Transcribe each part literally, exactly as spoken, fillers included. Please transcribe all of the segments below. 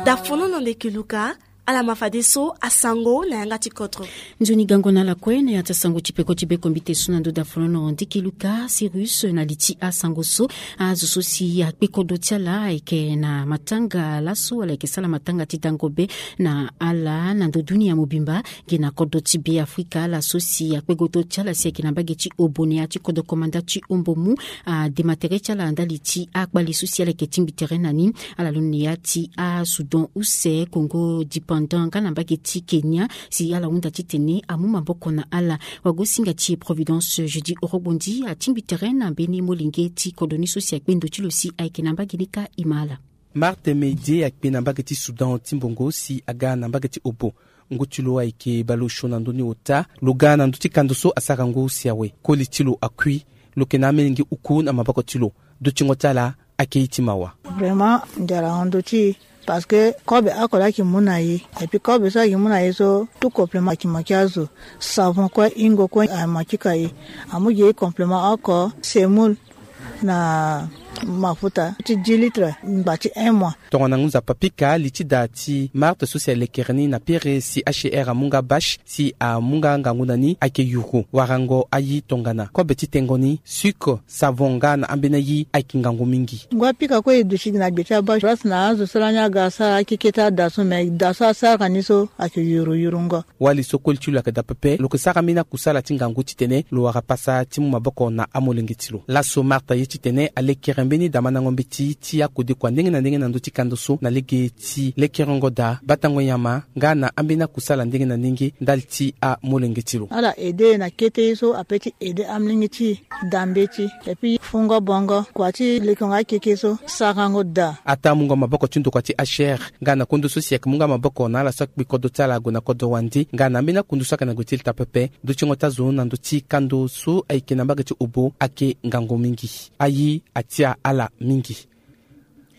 Dafono na ndeke luka. Ala ma fadeso asango na yanga ti kodro. Nzoni gango na ala kue na ya ti asango ti peko ti bekombite so na ndo dafono na ndeke luka Cyrus na li ti asango so. Azo so si akpe kodro ti ala ayeke na matanga laso, ala yeke sala matanga ti dango be na ala na ndo dunia mobimba. Gi na kodro ti Beafrika, ala so si akpe godo ti ala si ayeke na mbage ti Obo na ya ti kodro komanda ti Ombomu, adema tere ti ala ndali ti akpale so si ala yeke tingbi tere na ni. Ala londo na ya ti aSoudan use, Congo dépendant nga na mbage ti Kenya, si ala hunda titene amu maboko na ala. Wagosinga ti e Providence Jeudi Orogbondi atingbi tere na mbeni molenge ti kodro ni so si akpe ndo ti lo si ayeke na mbage ni kâ. E ma ala. Marthe Meidie akpe na mbage ti Soudan ti mbongo si aga na mbage ti Obo. Ngu ti lo ayeke baleosio na ndö ni ota. Lo ga na ndö ti kando so asara ngu si awe. Koli ti lo akui. Lo yeke na amolenge uku na maboko ti lo. Dutingo ti ala ayeke ye ti mawa. Vraiment, ndia ala hon ndö ti e. Parce que kobe oko laa ayeke mu na e. Et puis kobe so ayeke mu na e so, tout complément ayeke manqué azo. Savon kue, hingo kue amanqué ka e. Amu gi e complément oko, semoule na mafuta ti dix litres ngba ti un mois. Tongana ngu Nzapa pika, li ti da ti Marthe so si alekere ni na pere si H C R amu nga bâche, si amu nga ngangu na ni ayeke yuru. Warango aye tongana kobe ti tengo ni, sucre, savon nga na ambeni aye ayeke ngangu mingi. Ngu apika kue e duti gi na gbe ti abâche. Place na azo so lani aga asara akeke ti ada so, me da so asara ni so ayeke yuru yurungo. Wali so koli ti lo ayeke daa pepe, lo yeke sara mbeni akusala ti ngangu titene lo wara pasa ti mu maboko na amolenge ti lo. Laso Marthe aye titene alekere mbeni damandango mbeti ti akodekua ndenge na ndenge na ndö ti kando so na lege ti lekerengo daa, batango nyama nga na ambeni akusala ndenge na ndenge ndali ti amolenge ti lo. Ala aidé e na kete ye so ape ti aidé amolenge ti e da mbeti, et puis fungo bongo, kua ti lekengo akeke so sarango daa. Ataa mungo maboko ti ndokua ti H C R nga na kondo so si ayeke mu nga maboko na ala so akpe kodro ti ala ague na kodro wande nga na ambeni akundu so ayeke na gue ti leta pepe. Dutingo ti azo na ndö ti kando so ayeke na mbage ti Obo ayeke ngangu mingi. Aye atia ala mingi.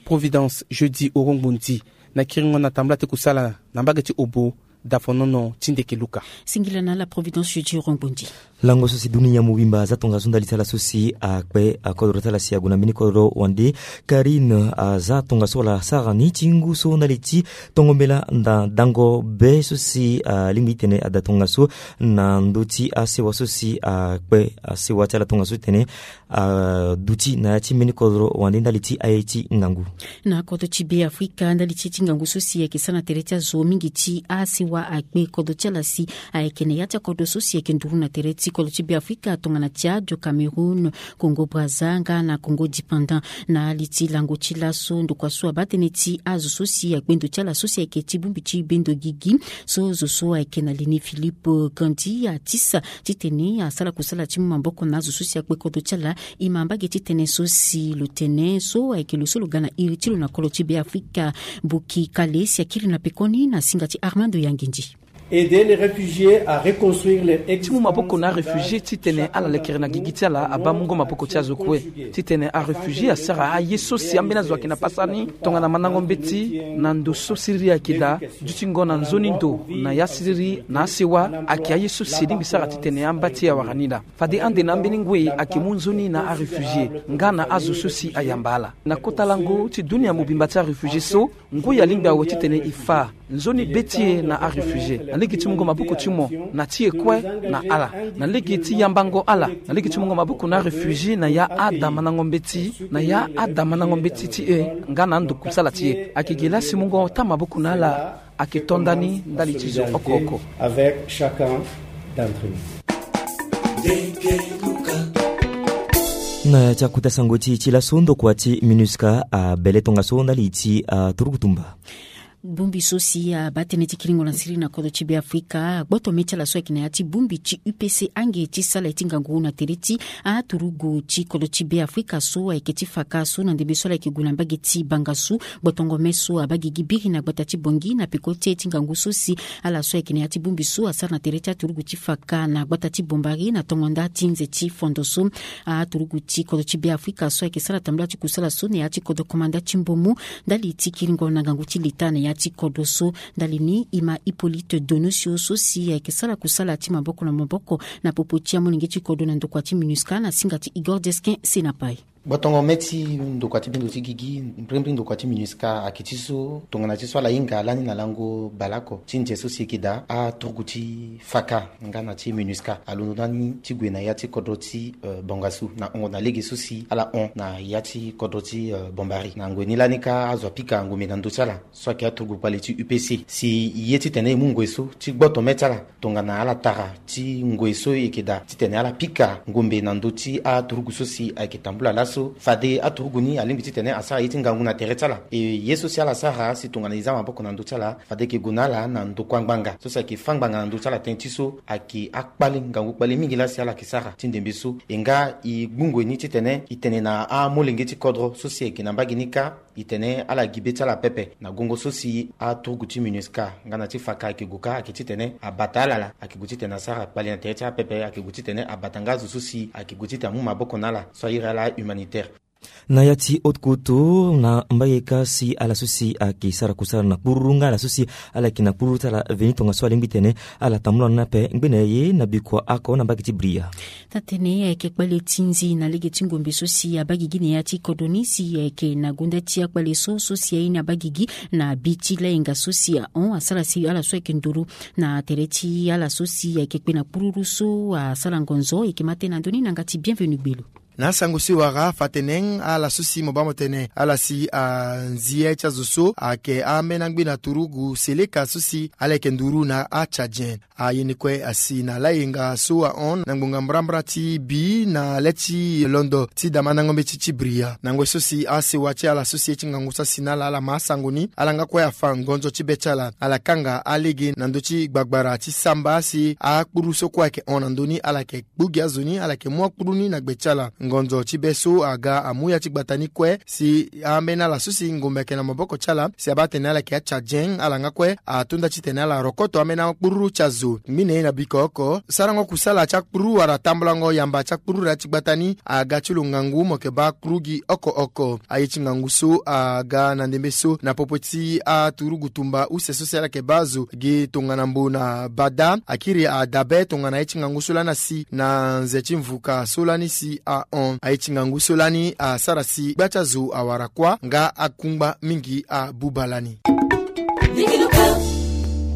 Providence Jeudi Orongbondi na kiringo na tambula ti kusala na mbage ti Obo. Dafonono ti ndeke luka. Singila na ala Providence Jeudi Orongbondi. Lango so si dunia mobimba aza tongaso ndali ti ala so si akpe akodro ti ala si ague na mbeni kodro wande. Karine aza tongaso wala asara ni ti ngu so ndali ti tongo mbela na dango be so si alingbi titene ada tongaso na ndö ti asewa so si akpe asewa ti ala tongaso titene aduti na ya ti mbeni kodro wande ndali ti aye ti ngangu. Na kodro ti Beafrika, ndali ti aye ti ngangu so si ayeke sara na tere ti azo mingi ti asewa akpe kodro ti ala si ayeke na ya ti akodro so si ayeke nduru na tere ti kodro ti Beafrika tongana Tchad, Cameroun, Congo Brazza nga na Congo dépendant. Na li ti lango ti laso, ndokua so abaa tënë ti azo so si akpe ndo ti ala so si ayeke ti bongbi ti bendo gigi so zo so ayeke na li ni Philippe Grandi atisa titene asara kusala ti mu maboko na azo so si akpe kodro ti ala. E ma mbage ti tënë so si lo tene so ayeke lo so lo ga na iri ti lo na kolo ti Beafrika. Boki Kale si akiri na pekoni na singa ti Armando Yangindi. Aider les réfugiés à reconstruire leur existence. Ti mu maboko na aréfugié titene ala lekere na gigi ti ala abaa mungo maboko ti azo kue. Titene aréfugié asara aye so si ambeni azo ayeke na pasa ni tongana mandango mbeti na ndo so siriri ayeke daa. Dutingo na nzoni ndo na ya siriri na asewa ayeke aye so si e lingbi sara titene amba ti e awara ni laa. Fade ande na ambeni ngoi ayeke mu nzoni na aréfugié nga na azo so si ayamba ala. Na kota lango ti dunia mobimba ti aréfugié so, ngoi alingbi awe titene e fa nzoni be ti e na aréfugié na lege ti mungo maboko ti mo na ti e kue na ala, na lege ti yambango ala, na lege ti mungo maboko na aréfugié na ya adamandango mbeti, na ya adamandango mbeti ti e nga na ando kusala ti e. Ayeke gi laa si mungo taa maboko na ala ayeke to nda ni ndali ti zo oko oko. Avec chacun d'entre nous. Na ya ti akota sango ti e ti laso, ndokua ti MINUSCA abele tongaso ndali ti aturugu tumba. Bongbi so si abaa tënë ti kiringo na siriri na kodro ti Beafrika agboto mê ti ala so ayeke na ya ti bongbi ti U P C ange ti sala ye ti ngangu na tere ti aturugu ti kodro ti Beafrika so ayeke ti faka so na ndembe so ala yeke gue na mbage ti Bangassou. Gbotongo mê so abaa gigi biri na gbata ti Bangui na peko ti aye ti ngangu so si ala so ayeke na ya ti bongbi so asara na tere ti aturugu ti faka na gbata ti Bombari na tongo nda ti nze ti fondo so. Aturugu ti kodro ti Beafrika so ayeke sara tambula ti kusala so na ya ti kodro komanda ti Mbomu ndali ti kiringo na ngangu ti leta na ya ti kodro so. Ndali ni e ma Hippolyte Donosio so si ayeke sara kusala ti maboko na maboko na popo ti amolenge ti kodro na ndokua ti MINUSCA na singa ti Igor Desquin Senapai. Gbotongo me ti ndokua ti bindo ti gigi, mbrimbri ndokua ti minusca ayeke ti so tongana ti so ala hinga lani na lango baleoko ti nze so si eke daa aturugu ti faka nga na ti minusca alondo ndani ti gue na ya ti kodro ti bongasu na hongo na lege so si ala hon na ya ti kodro ti bombari na ngoi ni lani kâ azo apika ngombe na ndö ti ala so ayeke aturugu kpale ti upc si e ye titene e mu ngoi so ti gboto me ti ala tongana ala tara ti ngoi so e yeke daa titene ala pika ngombe na ndö ti aturugu so si ayeke tambula laso fade aturugu ni alingbi titene asara ye ti ngangu na tere ti ala. E ye so si ala sara si tongana e za maboko na ndö ti ala fade e yeke gue na ala na ndokua ngbanga so si ayeke fâ ngbanga na ndö ti ala tënë ti so ayeke akpale ngangu kpale mingi laa si ala yeke sara ti ndembe so. E nga e gbu ngoi ni titene e tene na amolenge ti kodro so si ayeke na mbage ni kâ e tene ala gi be ti ala pepe na gongo so si aturugu ti minusca nga na ti faka ayeke gue kâ ayeke titene abata ala laa ayeke gue titene asara kpale na tere ti ala pepe ayeke gue titene abata nga azo so si ayeke gue titene amu maboko na ala so airi ala humanitaire. Na ya ti haute couture na mbage kâ si ala so si ayeke sara kusala na kpururu nga ala so si ala yeke na kpururu ti ala veni tongaso alingbi tene ala tambula ni ape ngbene ye na bikua oko na mbage ti bria. Taa-tënë ayeke kpale ti nzi na lege ti ngombe so si abaa gigi na ya ti kodro ni si ayeke na gonda ti akpale so so si aye ni abaa gigi na bi ti layenga so si ahon asara si ala so ayeke nduru na tere ti ala so si ayeke kpe na kpururu so asara ngonzo. Ayeke ma tënë na ndö ni na yanga ti Bienvenu Gbelu. Na asango so e wara afa tene ala so si mo baa mo tene ala si anzi ye ti azo so ayeke ambeni angbi na turugu seleka so si ala yeke nduru na atchadien. Aye ni kue asi na layenga so ahon na ngbonga mbrambra ti bi na le ti londo ti damandango mbeti ti bria na ngoi so si asewa ti ala so si ye ti ngangu so asi na ala ala ma asango ni ala nga kue afa ngonzo ti be ti ala ala kanga alege na ndö ti gbagbara ti samba si akpuru so kue ayeke hon na ndö ni ala yeke kpu gi azo ni ala yeke mu akpuru ni na gbe ti ala. Ngonzo ti be so aga amu ya ti gbata ni kue si ambeni ala so si ngombe ayeke na maboko ti ala si abaa tene ala yeke atchadien ala nga kue atonda titene ala rokoto ambeni akpururu ti azo. Ngbene ye na biko oko sarango kusala ti akpururu wala tambulango yamba ti akpururu ya ti gbata ni aga ti lo ngangu mo yeke baa akpuru gi oko oko. Aye ti ngangu so aga na ndembe so na popo ti aturugu tumba use so si ala yeke baa azo gi tongana mbo na bada akiri adabe tongana aye ti ngangu so lani asi na nze ti mvuka so lani si ahon aye ti ngangu so lani asara si gba ti azo awara kuâ nga akungba mingi abuba lani.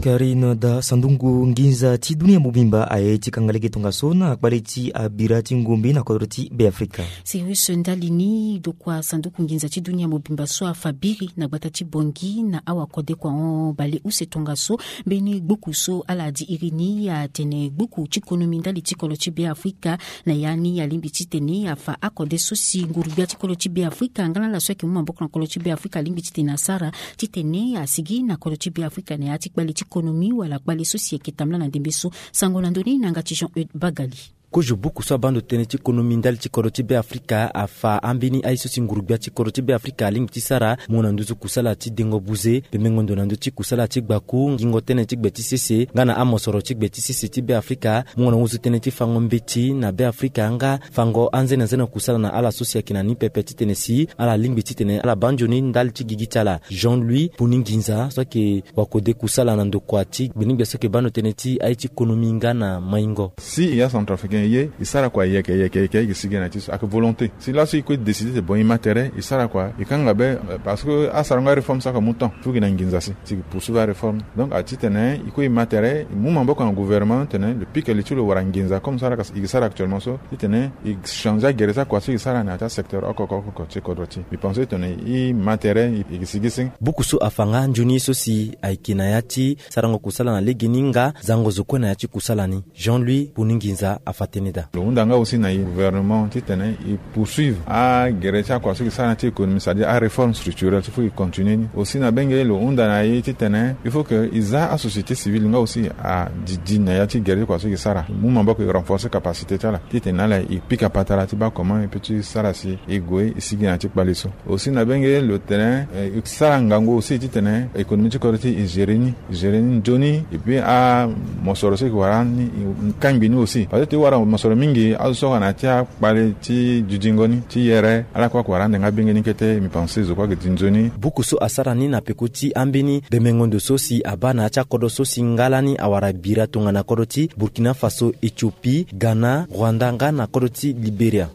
Karine da sandungu nginza ti dunia mobimba aye ti kanga lege tongaso na kpale ti abira ti ngombe na kodro ti beafrika. Sirius ndali ni dokua sanduku nginza ti dunia mobimba so afa biri na gbata ti bongi na awa kode kua hon bale use tongaso mbeni gbuku so ala di iri ni atene gbuku ti konomi ndali ti kolo ti beafrika. Na ya ni alingbi titene afa akode so si nguru-gbia ti kolo ti beafrika nga na ala so ayeke mu maboko na kolo ti beafrika alingbi titene asara titene asigi na kolo ti beafrika na ya ti kpale ti konomi wala kpale so si ayeke tambula na ndembe so. Sango na ndö ni na yanga ti Jean Eude Bagali. Kozo buku so abaa ndo tënë ti konomi ndali ti kodro ti beafrika afa ambeni aye so si nguru-gbia ti kodro ti beafrika alingbi ti sara mo na nduzu kusala ti dengo buze pembengo ndo na ndö ti kusala ti gbaku ngingo tënë ti gbe ti sese nga na amosoro ti gbe ti sese ti beafrika. Mungo na nduzu tënë ti fango mbeti na beafrika nga fango anzenazene kusala na ala so si ayeke na ni pepe titene si ala lingbi titene ala baa nzoni ndali ti gigi ti ala. Jean Louis Puni Nginza so ayeke wakode kusala na ndokua ti gbenigbe so ayeke baa ndo tënë ti aye ti konomi nga na maingo. Si e ya centrafricain e ye e sara kua yeke yeke yeke e ke sigi na ti so ayeke volonté si laso e kue décide te bon e ma tere e sara kua e kanga be. Parce que asarango aréforme so ayeke mu temps. Fugi na nginza si si e poursuivre aréforme. Donc a titene e kue e ma tere e mu maboko na gouvernement titene lo pika li ti lo wara nginza comme so ala yeke sara actuellement so titene e changer agere ti akua so e sara na ya ti asecteur oko oko oko ti kodro ti e. Mbi pense titene e ma tere e ke sigi si. Buku so afa nga nzoni ye so si ayeke na ya ti sarango kusala na legeni nga zango zo kue na ya ti kusala ni. Jean Louis Puni Nginza afa tënë daa. Lo hunda nga aussi na e gouvernement titene e poursuivre agere ti akua so e ke sara na ya ti économie c'est-à-dire aréforme structurelle so faut e continue ni aussi na benge lo hunda na e titene il faut que e za asociété civile nga aussi adidi na ya ti gere ti kua so e ke sara e mu maboko e renforcer capacité ti ala titene ala e pika patara ti baa comment e peut ti sara si e gue e sigi na ya ti kpale so. Aussi na benge lo tene e sara ngangu aussi titene économie ti kodro ti e gérer ni gérer ni nzoni. Et puis amosoro so e ke wara ni e kangbi ni aussi parce que e wara mosoro mingi azo so ayeke na ya ti akpale ti didingo ni ti yere ala kue ayeke wara ande nga benge ni kete mbi pense zo kue ayeke di nzoni. Buku so asara ni na peko ti ambeni bemengo ndo so si abaa na ya ti akodro so si nga lani awara bira tongana kodro ti Burkina Faso, Éthiopie, Ghana, Rwanda nga na kodro ti Libéria.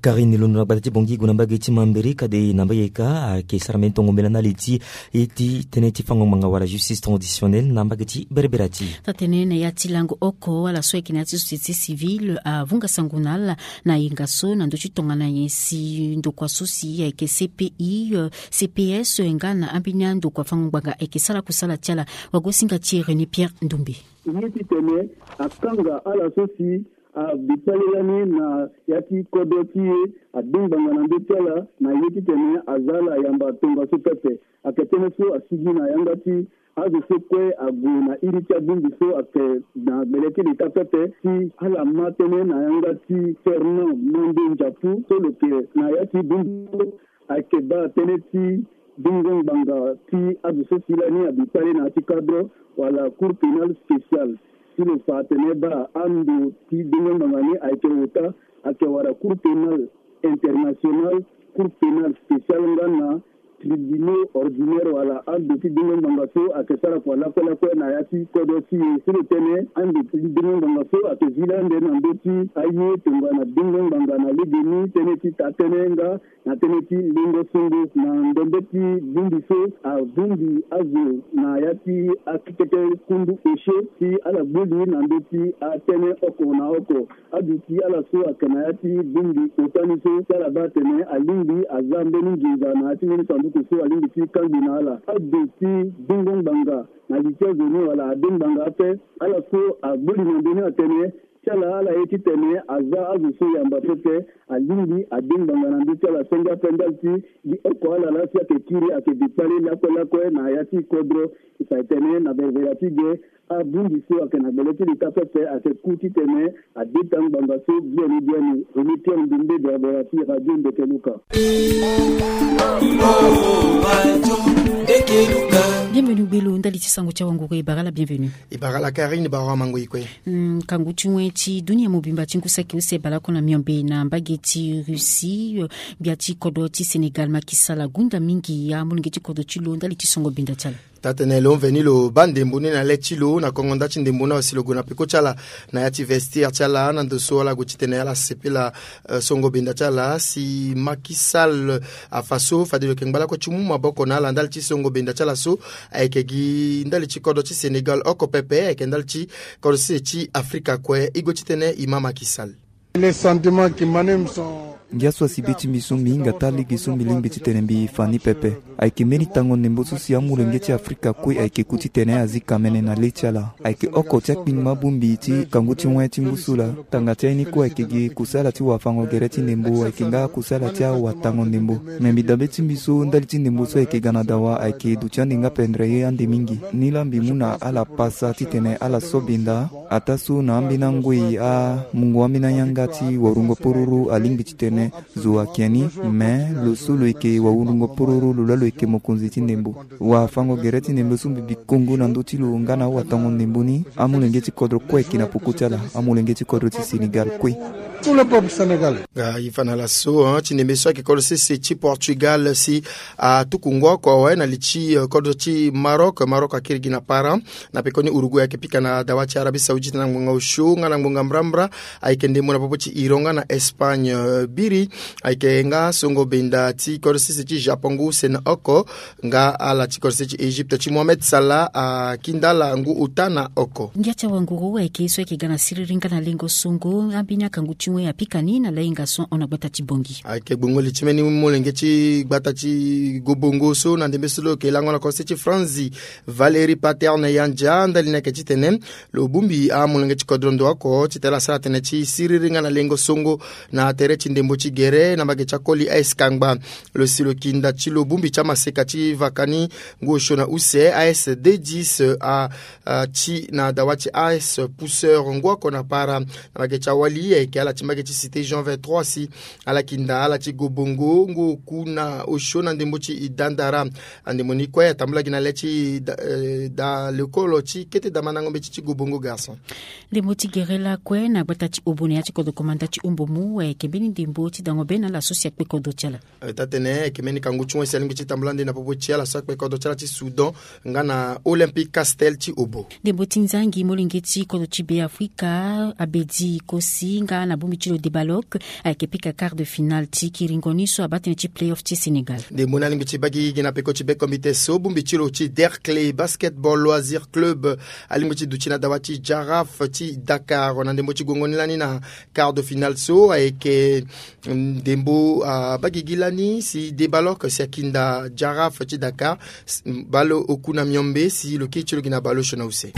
Karine Londo na gbata ti Bongi gue na mbage ti Mambéré, kade na mbage ka ayeke sara mbeni tongo mbela ndali ti e ti tënë ti fango ngbanga wala justice transitionnelle na mbage ti berebere ti. Taa-tënë na ya ti lango oko ala so ayeke na ya ti société civile avunga sango na ala na yenga so na ndö ti tongana nyen si ndokua so si ayeke C P I, euh, C P S nga na ambeni andokua fango ngbanga ayeke sara kusala ti ala. Wagosinga ti e René Pierre Ndoumbe. Ye titene akanga ala so si abi kpale lani na ya ti kodro ti e, ade ngbanga na ndö ti ala na ye titene aza ala yamba tongaso pepe. Ayeke tënë so asigi na yanga ti azo so kue ague na iri ti abongbi so ayeke na gbele ti leta pepe, si ala ma tënë na yanga ti Fernand Mande Ndiapu so lo yeke na ya ti bongbi so. Ayeke baa tënë ti bingo ngbanga ti azo so si lani abi kpale na ya ti cadre wala cour pénale spéciale. Si lo fa atene baa ando ti bingo ngbanga ni ayeke ota, ayeke wara cour pénale internationale, cour pénale spéciale nga na tribunaux ordinaires wala ando ti bingo ngbanga so ayeke sara kua lakue lakue na ya ti kodro ti e. Si lo tene ando ti bingo ngbanga so ayeke zi laa ande na ndö ti aye tongana bingo ngbanga na legeni, tënë ti taa-tënë nga na tënë ti lengo songo na ndembe ti bongbi so abongbi azo na ya ti akekete kundu osio si ala gbuli na ndö ti atënë oko na oko. Aduti ala so ayeke na ya ti bongbi ota ni so si ala baa atene alingbi aza mbeni nginza na ya ti mbeni sanduku so alingbi ti kangbi na ala. Aduti bingo ngbanga na li ti azo ni wala ade ngbanga ape, ala so agbuli na ndö ni atene ti ala ala ye titene aza azo so yamba pepe, alingbi ade ngbanga na ndö ti ala senge ape ndali ti gi oko ala laa si ayeke kiri ayeke bi kpale lakue lakue na ya ti kodro. E fa e tene na ververa ti ge, abongbi so ayeke na gbele ti leta pepe ayeke ku titene adeta ngbanga so biani biani. René Pierre Ndoumbe, ververa ti Radio Ndeke Luka. Bienvenu gbelo ndali ti sango ti awanguru e bara ala bienvenu. E bara ala Karine, bara amango e kue. Mm, kangu ti wen ti dunia mobimba ti ngu saki use baleoko na miombe na mbage ti Russie, euh, gbia ti kodro ti Sénégal Macky Sall agunda mingi amolenge ti kodro ti lo ndali ti songo benda ti ala. Taa-tënë lo mveni lo baa ndembo ni na le ti lo na kongo nda ti ndembo ni asi lo gue na peko ti ala na ya ti vestiaire ti ala na ndo so ala gue titene ala sepela, euh, songo benda ti ala si Macky Sall afa so fade lo yeke ngba lakue ti mu maboko na ala ndali ti songo benda ti ala so ayeke gi ndali ti kodro ti Sénégal oko pepe, ayeke ndali ti kodro ti se ti Afrika kue. E gue titene e ma Macky Sall. Les sentiments qui m'animent sont... Ngia so asi be ti mbi so mbi hinga taa lege so mbi lingbi titene mbi fa ni pepe. Ayeke mbeni tango ndembo so si amolenge ti Afrika kue ayeke ku titene azi kamene na le ti ala. Ayeke oko ti akpingba bongbi ti kangu ti wen ti ngu so laa. Tanga ti aye ni kue ayeke gi kusala ti wafango gere ti ndembo, ayeke nga kusala ti awatango ndembo. Me mbi dabe ti mbi so ndali ti ndembo so ayeke ga na dawa ayeke duti ande nga pendere ye ande mingi. Ni laa mbi mu na ala pasa titene ala so benda. Ataa so na ambeni angoi amungo ambeni ayanga ti warungo pororo alingbi titene zo ayeke ni, me lo so lo yeke wawurungo pororo lo laa lo yeke mokonzi ti ndembo. Wafango gere ti ndembo so mbi bi kongo na ndö ti lo nga na awatango ndembo ni, amolenge ti kodro kue ayeke na poko ti ala, amolenge ti kodro ti Sénégal kue. Tout le peuple sénégalais. Nga e fa na ala so, hein, ti ndembe so ayeke kodro sese ti Portugal si atuku ngu oko awe na li ti, euh, kodro ti Maroc. Maroc akiri gi na para. Na pekoni Uruguay ayeke pika na dawa ti Arabie Saoudite na ngbonga osio nga na ngbonga mbrambra. Ayeke ndembo na popo ti Iran nga na Espagne, euh, biri. Ayeke nga songo benda ti kodro sese ti Japon ngu use na oko. Nga ala ti kodro sese ti Égypte ti Mohamed Salah akinda ala ngu ota na oko. Ngia ti awanguru ayeke so ayeke ga na siriri nga na lengo songo. Ambeni akangu ti wen apika ni na lahinga so hon na gbata ti Bongi. Ayeke gbongo li ti mbeni molenge ti gbata ti gobongo so na ndembe so lo yeke lango na kodro sese ti Franzi, Valérie Paterne Yandia, ndali ni ayeke titene lo bongbi amolenge ti kodro ndo oko titene asara tënë ti siriri nga na lengo songo na tere ti ndembo ti gere na mbage ti akoli A S Kangba. Lo si lo yeke nda ti lo bongbi ti amaseka ti vaka ni ngu osio na use, A S D dix, a, a, ti na dawa ti A S Pousseur ngu oko na para. Na mbage ti awali ayeke ala ti mbage ti Cité Jean vingt-trois si ala yeke nda ala ti gobongo ngu oku na osio na ndembo ti Dandara. Andembo ni kue atambula gi na le ti da, eh, da lekolo ti kete damandango mbeti ti gobongo garçon. Ndembo ti gere lakue na gbata ti Obo na ya ti kodro komanda ti Ombomu ayeke mbeni ndembo ti dango be na ala so si akpe kodro ti ala. Eh, taa-tënë ayeke mbeni kangu ti wen si alingbi ti tambula nde na popo ti ala so akpe kodro ti ala ti Soudan nga na Olympique Castel ti Obo. Ndembo ti nzangi molenge ti kodro ti Beafrika Abedi Kosi nga na Bongbi ti lo Debalok ayeke pika quart de finale ti kiringo ni so abaa tënë ti playoff ti Sénégal. Ndembo ni alingbi ti baa gigi na peko ti bekombite so bongbi ti lo ti Derklé Basketball Loisir Club alingbi ti duti na dawa ti Jaraaf ti Dakar na ndembo ti gongo ni lani na quart de finale so ayeke ndembo abaa gigi lani si Debalok si akinda Jaraaf ti Dakar. Baleoku na miombe si lo kiri ti lo gi na baleosio na use.